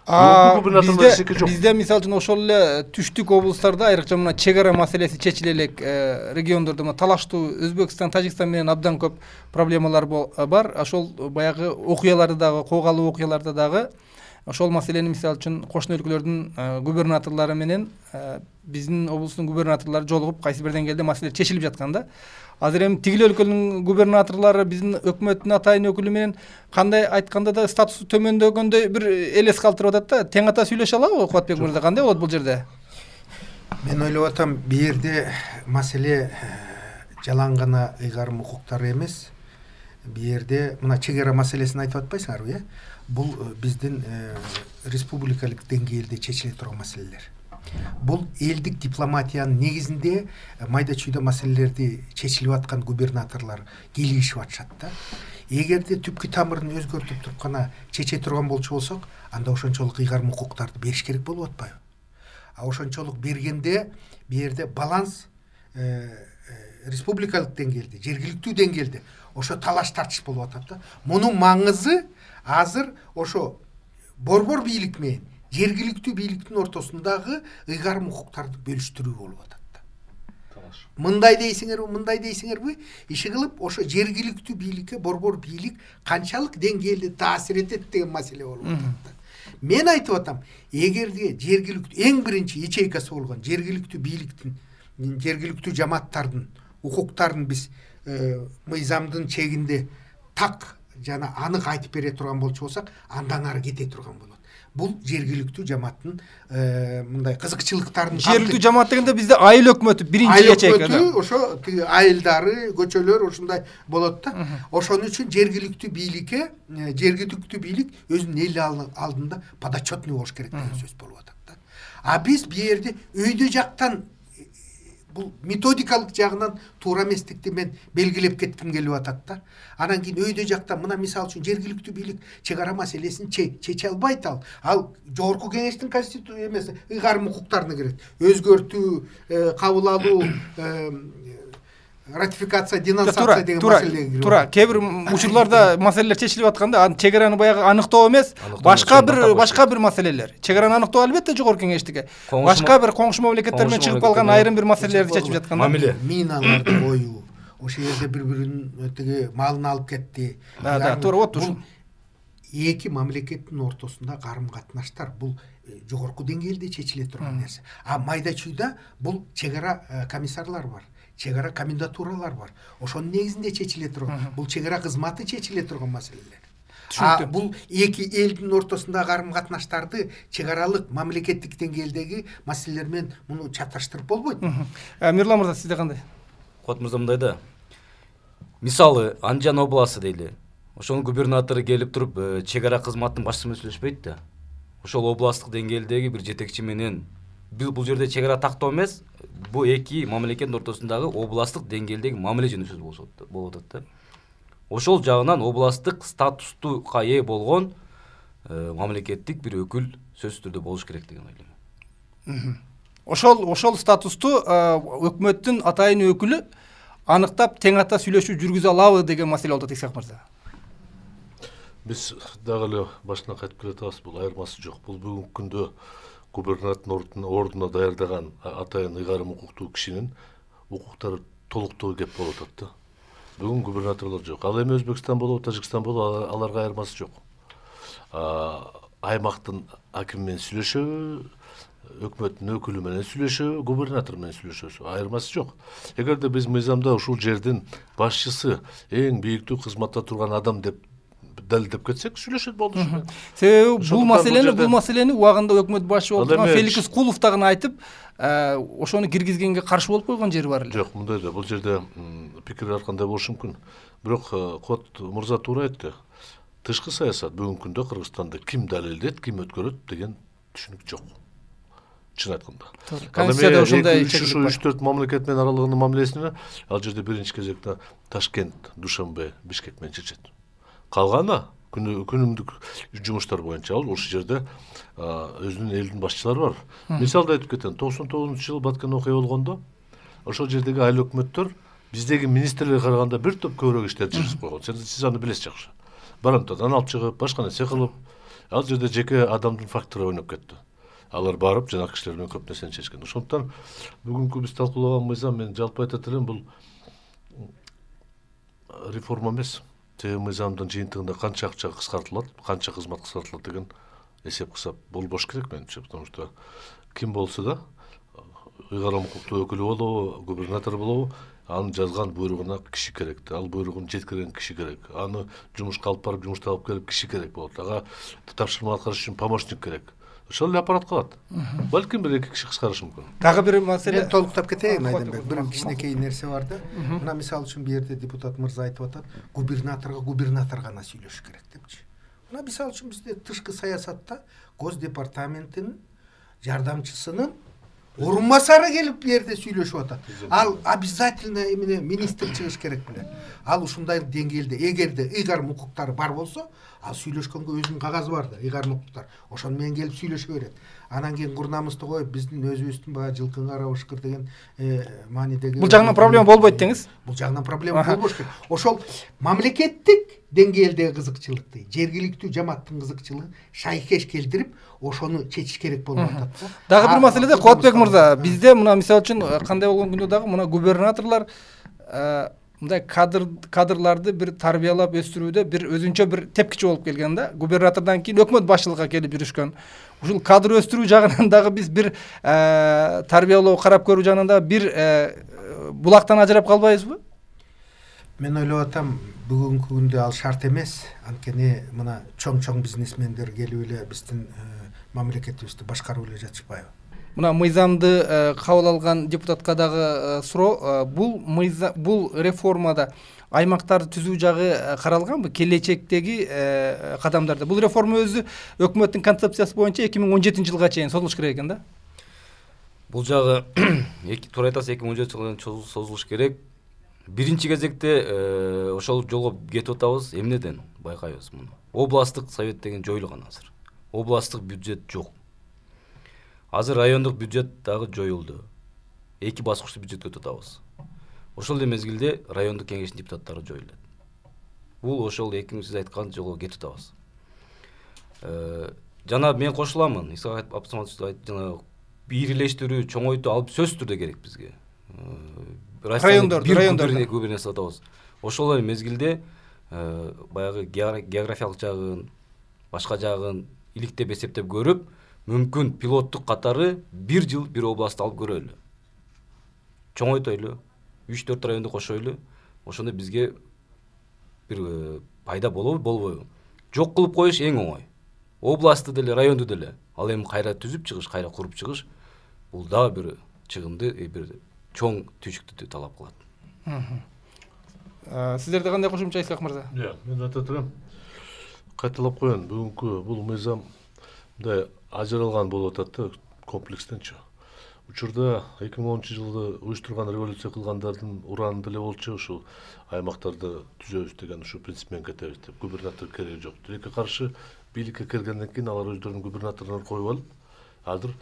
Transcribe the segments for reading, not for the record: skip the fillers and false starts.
Бизде мисалы үчүн ошол эле түштүк облустарда айрыкча мына чек ара маселеси чечиле элек региондордо талаштуу Өзбекстан, Тажикстан менен абдан көп проблемалар бар. Ошол баягы окуяларды дагы, коогалуу окуяларды дагы ошол маселени мисалы үчүн кошуна өлкөлөрдүн губернаторлору менен биздин облустун губернаторлору жолугуп кайсы бир деңгээлде маселе чечилип жаткан да. Азыр эми тигил өлкөнүн губернаторлору биздин өкмөттүн атайын өкүлү менен кандай айтканда да статусу төмөндөгөндөй бир элес калтырып атат да. Тең ата сүйлөшө алабы Кубатбек мырза? Кандай болот бул жерде? Мен ойлоп атам, бу жерде маселе жалаң гана ыйгарым укуктары эмес. Бу жерде мына чек ара маселесин айтып атпайсыңарбы, бул биздин республикалык деңгээлде чечиле турган маселелер. Бул элдик дипломатиянын негизинде майда чүйдө маселелерди чечилип аткан губернаторлор келишип атышат да. Эгерде түпкү тамырын өзгөртүп туруп гана чече турган болчу болсок, анда ошончолук ыйгарым укуктарды бериш керек болуп атпайбы? А ошончолук бергенде бу жерде баланс республикалык деңгээлде, жергиликтүү деңгээлде ошо талаш тартыш болуп атат да. Мунун маңызы азыр ошо борбор бийлик менен жергиликтүү бийликтин ортосундагы ыйгарым укуктарды бөлүштүрүү болуп атат да. Мындай дейсиңерби? Иши кылып ошо жергиликтүү бийликке борбор бийлик канчалык деңгээлде таасир этет деген маселе болуп атат да. Мен айтып атам, эгерде жергиликтүү эң биринчи ячейкасы болгон жергиликтүү бийликтин, жергиликтүү жамааттардын укуктарын биз мыйзамдын чегинде так жана анык айтып бере турган болчу болсак, андан ары кете турган болот. Бул жергиликтүү жамааттын мындай кызыкчылыктарын жергиликтүү жамаат дегенде бизде айыл өкмөтү биринчи ячейка да. Ошо айылдары, көчөлөр ушундай болот да. Ошон үчүн жергиликтүү бийлик өзүнүн эл алдында подотчетный болуш керек деген сөз болуп атат да. А биз бу жерде өйдө жактан бул методикалык жагынан туура эместикти мен белгилеп кетким келип атат да. Анан кийин өйдө жактан мына мисалы үчүн жергиликтүү бийлик чек ара маселесин чече албайт ал жогорку кеңештин конституция эмес ыйгарым укуктарына кирет. Өзгөртүү, кабыл алуу, ратификация, денонсация деген маселеге кирип. Туура, кээ бир учурларда маселелер чечилип атканда чек араны баягы аныктоо эмес, башка бир маселелер. Чек араны аныктоо албетте жогорку кеңештике. Башка бир коңшу мамлекеттер менен чыгып калган айрым бир маселелерди чечип жатканда. Миналарды коюу, ошол жерде бири-биринин тиги малын алып кетти. Туура болот ушу. Эки мамлекеттин ортосунда карым-катнаштар бул жогорку деңгээлде чечиле турган нерсе. А майда чүйдө бул чек ара комиссарлар бар. Чек ара комендатуралар бар. Ошонун негизинде чечиле турган. Бул чек ара кызматы чечиле турган маселелер. Бул эки элдин ортосундагы карым-катнаштарды чек аралык мамлекеттик деңгээлдеги маселелер менен муну чаташтырып болбойт. Мирлан мырза, сизде кандай? Кот мырза мындай да. Мисалы, Анжан областы дейли. Ошонун губернатору келип туруп чек ара кызматынын башчысы менен сүйлөшпөйт да. Ошол областтык деңгээлдеги бир жетекчи менен бул жерде чек ара тактоо эмес, бул эки мамлекеттин ортосундагы областтык деңгээлдеги мамиле жөнүндө сөз болуп атат да. Ошол жагынан областтык статустуга ээ болгон мамлекеттик бир өкүл сөзсүз түрдө болуш керек деген ойлойм. Ошол статусту өкмөттүн атайын өкүлү аныктап тең ата сүйлөшүү жүргүзө алабы деген маселе болот Исак мырза. Биз дагы эле башынан кайтып келатабыз, бул айырмасы жок. Бул бүгүнкү күндө губернатордун ордуна даярдаган атайын ыйгарым укуктуу кишинин укуктары толуктуу кеп болуп атат да. Бүгүн губернаторлор жок. Ал эми Өзбекстан болобу, Тажикстан болобу, аларга айырмасы жок. Аймактын акими менен сүйлөшөбү, өкмөттүн өкүлү менен сүйлөшөбү, губернатор менен сүйлөшөбү, айырмасы жок. Эгерде биз мыйзамда ушул жердин башчысы эң бийиктүү кызматта турган адам деп далилдеп кетсек, сүйлөшөт болду ушу. Себеби бул маселени убагында өкмөт башчы болгон Феликс Кулов дагы айтып, ошону киргизгенге каршы болуп койгон жери бар эле. Жок, мындай да, бул жерде пикир ар кандай болушу мүмкүн. Бирок Кот мырза туура айтты. Тышкы саясат бүгүнкү күндө Кыргызстанда ким далилдейт, ким өткөрөт деген түшүнүк жок. Чын айтканда. Конституцияда ошондой чечилип 3-4 мамлекет менен аралыгындагы мамилесине ал жерде биринчи кезекте Ташкент, Душанбе, Бишкек менен чечет. Калганы күнүмдүк жумуштар боюнча ошол жерде өзүнүн элдин башчылары бар. Мисалда айтып кетем, 99-жылы Баткен окуя болгондо ошол жердеги айыл өкмөттөр биздеги министрлерге караганда бир топ көбүрөөк иштерди жүргүзүп койгон. Сиз аны билесиз жакшы. Барымтадан алып чыгып, башка нерсе кылып, Ал жерде жеке адамдын фактору ойноп кетти. Алар барып жанагы кишилер менен көп нерсени чечкен. Ошондуктан бүгүнкү биз талкуулаган мыйзам мен жалпы айтат элем, бул реформа эмес. Тээ мыйзамдын жыйынтыгында канча акча кыскартылат, канча кызмат кыскартылат деген эсеп кысап болбош керек менимче. Потому что ким болсо да, ыйгарым укуктуу өкүлү болобу, губернатор болобу, анын жазган буйругуна киши керек. Ал буйругун жеткирген киши керек. Аны жумушка алып барып, жумуштан алып келип киши керек болот. Ага тапшырма аткарыш үчүн помощник керек. Ошол эле аппарат калат. Балким бир эки киши кыскарышы мүмкүн. Дагы бир маселе. Мен толуктап кетейин Айденбек. Бир кичинекей нерсе бар да. Мына мисалы үчүн бу жерде депутат мырза айтып атат, губернатор гана сүйлөшүш керек депчи. Мына мисалы үчүн бизде тышкы саясатта Гос департаментинин жардамчысынын орун басары келип бу жерде сүйлөшүп атат. Ал обязательно эмне министр чыгыш керек беле. Ал ушундай деңгээлде, эгерде ыйгарым укуктары бар болсо, ал сүйлөшкөнгө өзүнүн кагазы бар да, ыйгарым укуктар. Ошону менен келип сүйлөшө берет. Анан кийин курнамызды коюп, биздин өзүбүздүн баягы жылкын кара бышкыр деген маанидеги. Бул жагынан проблема болбойт деңиз? Бул жагынан проблема болбош керек. Ошол мамлекеттик деңгээлдеги кызыкчылыкты, жергиликтүү жамааттын кызыкчылыгын шайкеш келтирип, ошону чечиш керек болуп атат да. Дагы бир маселеде Кубатбек мырза, бизде мына мисалы үчүн кандай болгон күндө дагы мына губернаторлор мындай кадрларды бир тарбиялап өстүрүүдө бир өзүнчө бир тепкичи болуп келген да. Губернатордон кийин өкмөт башчылыкка келип жүрүшкөн. Ушул кадр өстүрүү жагынан дагы биз бир тарбиялоо, карап көрүү жагынан дагы бир булактан ажырап калбайбызбы? Мен ойлоп атам, бүгүнкү күндө ал шарт эмес. Анткени мына чоң бизнесмендер келип эле биздин мамлекетибизди башкарып эле жатышпайбы? Мына мыйзамды кабыл алган депутатка дагы суроо, бул реформада аймактарды түзүү жагы каралганбы? Келечектеги кадамдарда. Бул реформа өзү өкмөттүн концепциясы боюнча 2017 жылга чейин созулуш керек экен да. Бул жагы туура айтасыз, 2017 жылга чейин созулуш керек. Биринчи кезекте ошол жолго кетип атабыз. Эмнеден байкайбыз муну? Областтык совет деген жоюлган азыр. Областтык бюджет жок. Азыр райондук бюджет дагы жоюлду. Эки баскычтуу бюджетке өтүп атабыз. Ошол эле мезгилде райондук кеңештин депутаттары жоюлат. Бул ошол сиз айткан жолго кетип атабыз. Жана мен кошуламын. Исак Абсаматович жана бийлештирүү, чоңойтуу алып сөзсүз түрдө керек бизге. Райондорду губернатор атабыз. Ошол эле мезгилде баягы географиялык жагын, башка жагын иликтеп эсептеп көрүп, мүмкүн пилоттук катары бир жыл бир областты алып көрөлү. Чоңойтойлу, 3-4 районду кошойлу. Ошондо бизге бир пайда болобу, болбойбу? Жок кылып коюш эң оңой. Областты деле, районду деле. Ал эми кайра түзүп чыгыш, кайра куруп чыгыш, бул дагы бир чыгымды, бир чоң түйшүктү талап кылат. Сиздерде кандай кошумча Исак мырза? Мен айтат элем. Кайталап коеюн, бүгүнкү бул мыйзам мындай ажыралган болуп атат да, комплекстенчи. Учурда 2010 жылы уюштурган революция кылгандардын ураны деле болчу, ушул аймактарды түзөбүз деген ушу принцип менен кетебиз деп. Губернатор кереги жок. Тилекке каршы бийликке келгенден кийин алар өздөрүнүн губернаторлорун коюп алып, азыр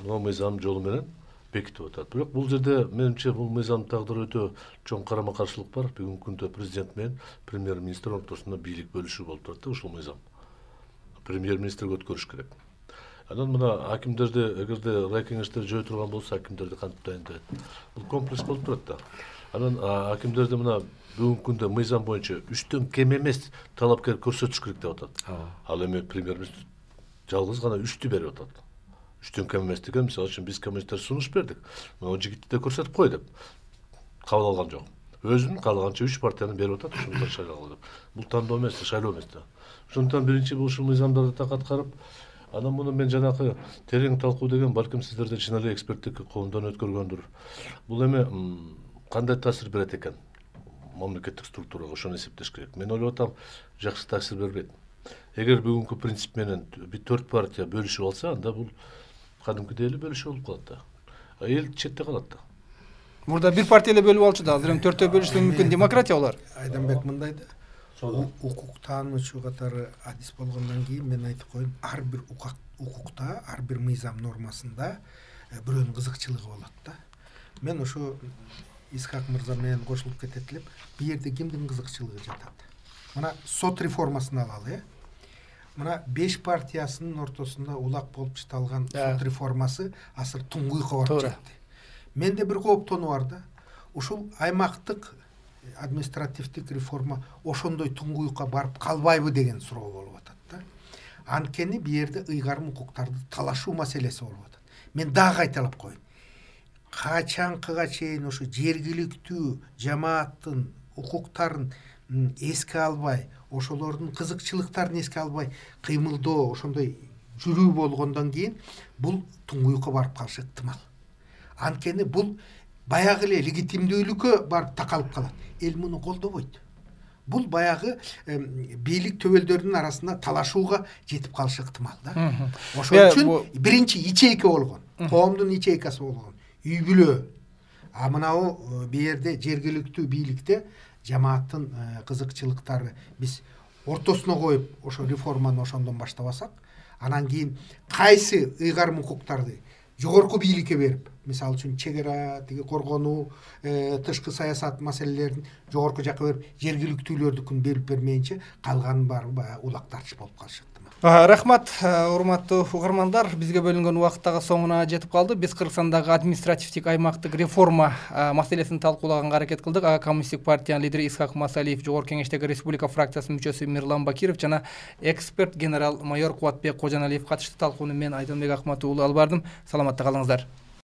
мына мыйзам жолу менен бекитип атат. Бирок бул жерде менимче бул мыйзамдын тагдыры өтө чоң карама-каршылык бар. Бүгүнкү күндө президент менен премьер-министр ортосунда бийлик бөлүшүү болуп турат да ушул мыйзам. Премьер-министрге өткөрүш керек. Анан мына акимдерди, эгерде рай кеңештер жөө турган болсо, акимдерди кантип дайындайт? Бул комплекс болуп турат да. Анан акимдерди мына бүгүнкү күндө мыйзам боюнча 3төн кем эмес талапкер көрсөтүш керек деп атат. Ал эми премьер-министр жалгыз гана 3тү берип атат. 3төн кем эмес деген, мисалы үчүн биз коммунисттер сунуш бердик. Мына жигитти да көрсөтүп кой деп. Кабыл алган жок. Өзүнүн каалаганча 3 партияны берип атат, ушуну шайлагыла деп. Бул тандоо эмес, шайлоо эмес да. Ошондуктан биринчи бул ушул мыйзамдарды так аткарып, анан муну мен жанакы терең талкуу деген балким сиздерде чын эле эксперттик коомдон өткөргөндүр. Бул эми кандай таасир берет экен мамлекеттик структурага, ошону эсептеш керек. Мен ойлоп атам, жакшы таасир бербейт. Эгер бүгүнкү принцип менен 4 партия бөлүшүп алса, анда бул кадимкидей эле бөлүшүү болуп калат да. Эл четте калат да. Мурда бир партия эле бөлүп алчу да, азыр эми 4төө бөлүшү мүмкүн демократия болор. Айданбек мындай да. Укук таануучу катары адис болгондон кийин мен айтып коеюн, ар бир укукта, ар бир мыйзам нормасында бирөөнүн кызыкчылыгы болот да. Мен ошо Исхак мырза менен кошулуп кетет элем. Бу жерде кимдин кызыкчылыгы жатат? Мына сот реформасын алалы, мына 5 партиясынын ортосунда улак болуп чыталган сот реформасы азыр туңгуйга барып жетти. Менде бир кооптонуу бар да. Ушул аймактык административдик реформа ошондой туңгуйга барып калбайбы деген суроо болуп атат да. Анткени бу жерде ыйгарым укуктарды талашуу маселеси болуп атат. Мен дагы кайталап коеюн. Качанкыга чейин ошо жергиликтүү жамааттын укуктарын эске албай, ошолордун кызыкчылыктарын эске албай кыймылдоо, ошондой жүрүү болгондон кийин бул туңгуйга барып калышы ыктымал. Анткени бул баягы эле легитимдүүлүккө барып такалып калат. Эл муну колдобойт. Бул баягы бийлик төбөлдөрүнүн арасында талашууга жетип калышы ыктымал да. Ошол үчүн биринчи ичейке болгон, коомдун ичейкасы болгон үй бүлө. А мынау бу жерде жергиликтүү бийликте жамааттын кызыкчылыктары биз ортосуна коюп ошо реформаны ошондон баштабасак, анан кийин кайсы ыйгарым укуктарды жогорку бийликке берип, мисалы үчүн чек ара, тиги коргонуу, тышкы саясат маселелерин жогорку жакка берип, жергиликтүүлөрдүкүн берип бермейинче калганын баары баягы улак тартыш болуп калышат. Рахмат, урматтуу угармандар, бизге бөлүнгөн убакыт дагы соңуна жетип калды. Биз Кыргызстандагы административдик аймактык реформа маселесин талкуулаганга аракет кылдык. Коммунисттик партиянын лидери Исхак Масалиев, Жогорку Кеңештеги Республика фракциясынын мүчөсү Мирлан Бакиров жана эксперт генерал майор Кубатбек Кожоналиев катышты. Талкууну мен Айдынбек Акматов уулу алып бардым. Саламатта калыңыздар.